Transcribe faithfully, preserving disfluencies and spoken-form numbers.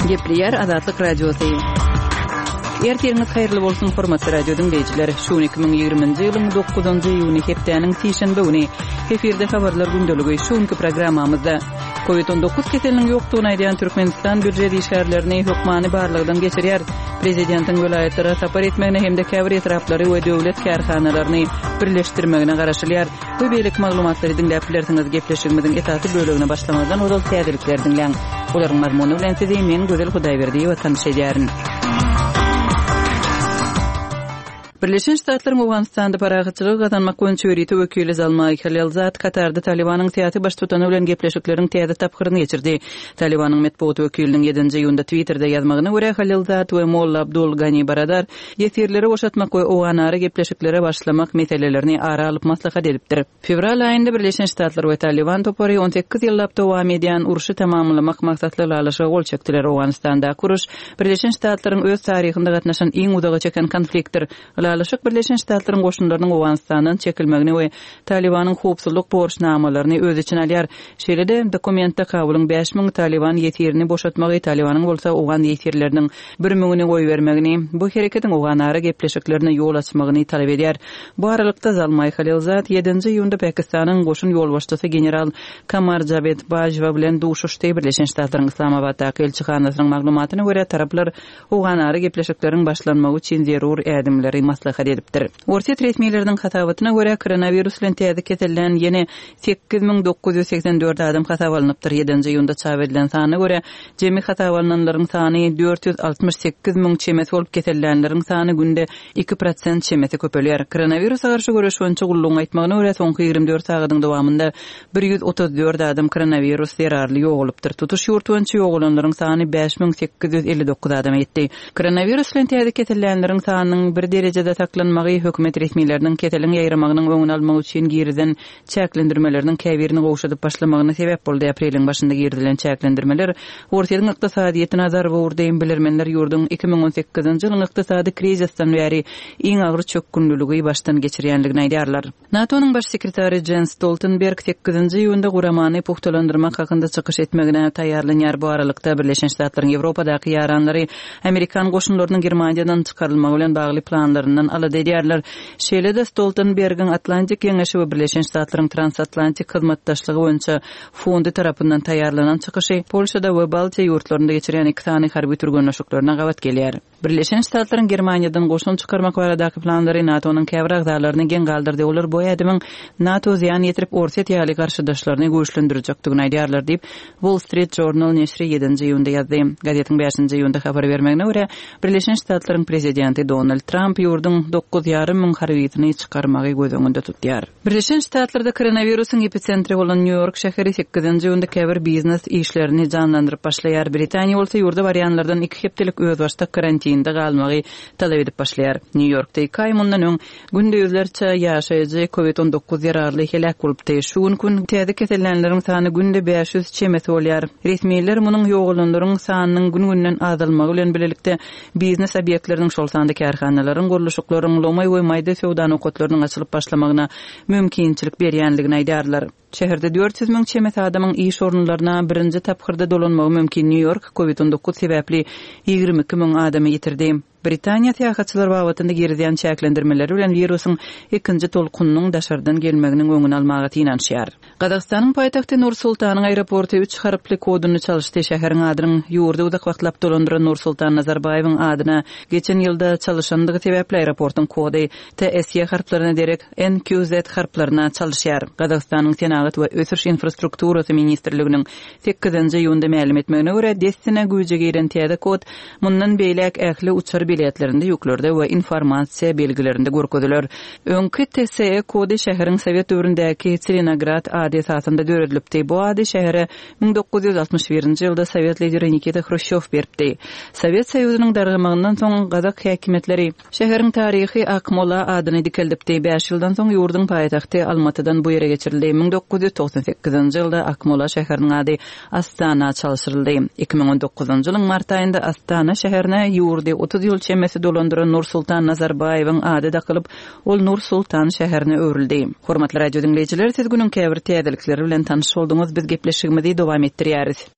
Gepleýär Azatlyk Radiosy. Ertiriňiz haýyrly bolsun, hormatly radio diňleýjiler. Şu gün iki müň ýigriminji ýylyň dokuzynjy iýuny hepdäniň sişenbe güni. Efirde habarlar gündeligi. Şu günki programmamyzda Covid on dokuz keseliniň ýokdugyny aýdýan Türkmenistan býujet işgärlerini hökmany barlagdan geçirýär. Prezidentiň welaýatlara sapar etmegine hem-de käbir etraplary we döwlet kärhanalaryny birleşdirmegine garaşylýar. Bu beýleki maglumatlary diňläp bilersiňiz. Gepleşigimiziň esasy bölegine başlamazdan ozal täzelikleri diňläň. Olaryň mazmuny bilen sizi men Gözel Hudaýberdiýewa tanyş edýärin. Birleşen Ştatlaryň Owganystanda parahatçylygy gazanmak boýunça ýörite wekili Zalmaý Halilzad Katarda Talybanyň syýasy baştutany bilen gepleşikleriň täze tapgyryny geçirdi. Talybanyň metbugat wekiliniň ýedinji iýunda Twitterde ýazmagyna görä, Halilzad we Molla Abdul Gani Baradar ýesirleri boşatmak we owganara gepleşiklere başlamak meselelerini ara alyp maslahat edipdir. Fewral aýynda Birleşen Ştatlar we Talyban topary on sekiz ýyllap dowam edýän urşy tamamlamak maksatly ylalaşyga gol çekdiler. Owganystandaky uruş Birleşen Ştatlaryň öz taryhynda gatnaşan iň uzaga çeken konfliktdir. Ylalaşyk Birleşen Ştatlaryň goşunlarynyň Owganystandan çekilmegini we Talybanyň howpsuzlyk borçnamalaryny öz içine alýar. Şeýle-de, dokumentde Kabulyň bäş müň Talyban ýesirini boşatmagy, Talybanyň bolsa owgan ýesirleriniň bir müňüni goýbermegini, bu hereketiň owganara gepleşiklerine ýol açmagyny talap edýär. Bu aralykda Zalmaý Halilzad ýedinji iýunda Pakistanyň goşun ýolbaşçysy general Kamar Jawed Bajwa bilen duşuşdy. Birleşen Ştatlaryň Yslamabatdaky ilçihanasynyň maglumatyna görä, taraplar owganara gepleşikleriň başlanmagy üçin zerur ädimleri maslahat edipdir. Orsýet resmileriniň hasabatyna görä, koronawirus bilen täze kesellän ýene sekiz müň dokuz ýüz segsen dört adam hasaba alnypdyr. Ýedinji iýunda çap edilen sana görä, jemi hasaba alnanlaryň sany dört ýüz altmyş sekiz müň çemesi bolup, kesellänleriň sany günde iki prosent çemesi köpelýär. Koronawirusa garşy göreş boýunça gullugyň aýtmagyna görä, soňky ýigrimi dört sagadyň dowamynda bir ýüz otuz dört adam koronawirus zerarly ýogalypdyr. Tutuş ýurt boýunça ýogalanlaryň sany bäş müň sekiz ýüz elli dokuz adama ýetdi. Koronawirus bilen täze kesellänleriň sanynyň bir derejede saklanmagy hökümet resmileriniň keseliň ýaýramagynyň öňüni almak üçin girizen çäklendirmeleriniň käbirini gowşadyp başlamagyna sebäp boldy. Apreliň başynda girizilen çäklendirmeler Orsýetiň ykdysadyýetine zarba urdy. Bilermenler ýurduň iki müň on sekizinji ýylyň ykdysady krizisden bäri iň agyr çökgünliligi başdan geçirýänligini aýdýarlar. NATO-nyň baş sekretary Jens Stoltenberg sekizinji iýunda guramany pugtalandyrmak hakynda çykyş etmegine taýýarlanýar. Bu aralykda Birleşen Ştatlaryň Ýewropadaky ýaranlary Amerikan goşunlarynyň Germaniýadan çykarylmagy bilen bagly planlaryndan alada edýärler. Şeýle-de Stoltenbergiň Atlantik Geňeşi we Birleşen Ştatlaryň Transatlantik hyzmatdaşlygy boýunça fondy tarapyndan taýýarlanan çykyşy Polşada we Baltiýa ýurtlarynda geçirýän iki sany harby türgenleşiklerine gabat gelýär. Birleşen Ştatlaryň Germaniýadan goşun çykarmak baradaky planlary NATO-nyň käbir agzalaryny geň galdyrdy. Olar bu ädimiň NATO zyýan ýetirip Orsýet ýaly garşydaşlaryny güýçlendirjekdigini aýdýarlar diýip, Wall Street Journal neşiri ýedinji iýunda ýazdy. Gazetiň bäşinji iýunda habar bermegine görä, Birleşen Ştatlaryň prezidenti Donald Tramp ýurduň dokuz ýarym müň harbysyny çykarmagy göz öňünde tutýar. Birleşen Ştatlarda koronawirusyň epitsentri bolan Nýu-Ýork şäheri sekizinji iýunda käbir biznes işlerini janlandyryp başlaýar. Britaniýa bolsa ýurda barýanlardan iki hepdelik özbaşdak karantinde galmagy talap edip başlaýar. Nýu-Ýorkda iki aý mundan öň günde ýüzlerçe ýaşaýjy COVID on dokuz zerarly heläk bolupdy. Şu gün gün täze kesellänleriň sany günde bäş ýüz çemesi bolýar. Resmiler munuň ýogalanlaryň sanynyň gün-günden azalmagy bilen birlikde biznes obýektleriniň, şol sanda kärhanalaryň, gurluşyklaryň, lomaý we maýda söwda nokatlarynyň açylyp başlamagyna mümkinçilik berýänligini aýdarlar. Şäherde dört ýüz müň çemesi adamyň iş orunlaryna birinji tapgyrda dolanmagy mümkin. Nýu-Ýork COVID on dokuz sebäpli ýigrimi iki müň adamy ýitirdi. Britaniýa syýahatçylar babatynda girizýän çäklendirmeleri bilen wirusyň ikinji tolkunynyň daşardan gelmeginiň öňüni almaga synanyşýar. Gazagystanyň paýtagty Nur-Sultanyň aeroporty üç harply koduny çalyşdy. Şäheriň adynyň ýurdy uzak wagtlap dolandyran Nur-Sultan Nazarbaýewiň adyna geçen ýylda çalyşandygy sebäpli aeroportyň kody T S Y harplaryna derek N Q Z harplaryna çalyşýar. Gazagystanyň Senagat we Ösüş Infrastrukturasy Ministrliginiň sekizinji iýunda mälim etmegine görä, dessine güýje giren täze kod mundan beýläk ähli uçar biletlerinde, ýüklerde we informasiýa belgilerinde görkeziler. Öňki T S E kody şäheriň Sowet döwründäki Tselinograd ady esasynda döredilipdi. Bu ady şähere müň dokuz ýüz altmyş birinji ýylda Sowet lideri Nikita Hruşýow beripdi. Sowet Soýuzynyň dargamagyndan soň Gazak häkimiýetleri şäheriň taryhy Akmola adyny dikeldipdi. Bäş ýyldan soň ýurduň paýtagty Almatydan bu ýere geçirildi. Müň dokuz ýüz togsan sekizinji ýylda Akmola şäheriniň ady Astana çalşyryldy. Iki müň on dokuzynjy ýylyň mart aýynda Astana şäherine ýurdy otuz ýyl çemesi dolandyran Nur-Sultan Nazarbaýewiň ady dakylyp, ol Nur-Sultan şäherine öwrüldi. Hormatly radio diňleýjiler, siz günüň käbir täzelikleri bilen tanyş bolduňyz. Biz gepleşigimizi dowam etdirýäris.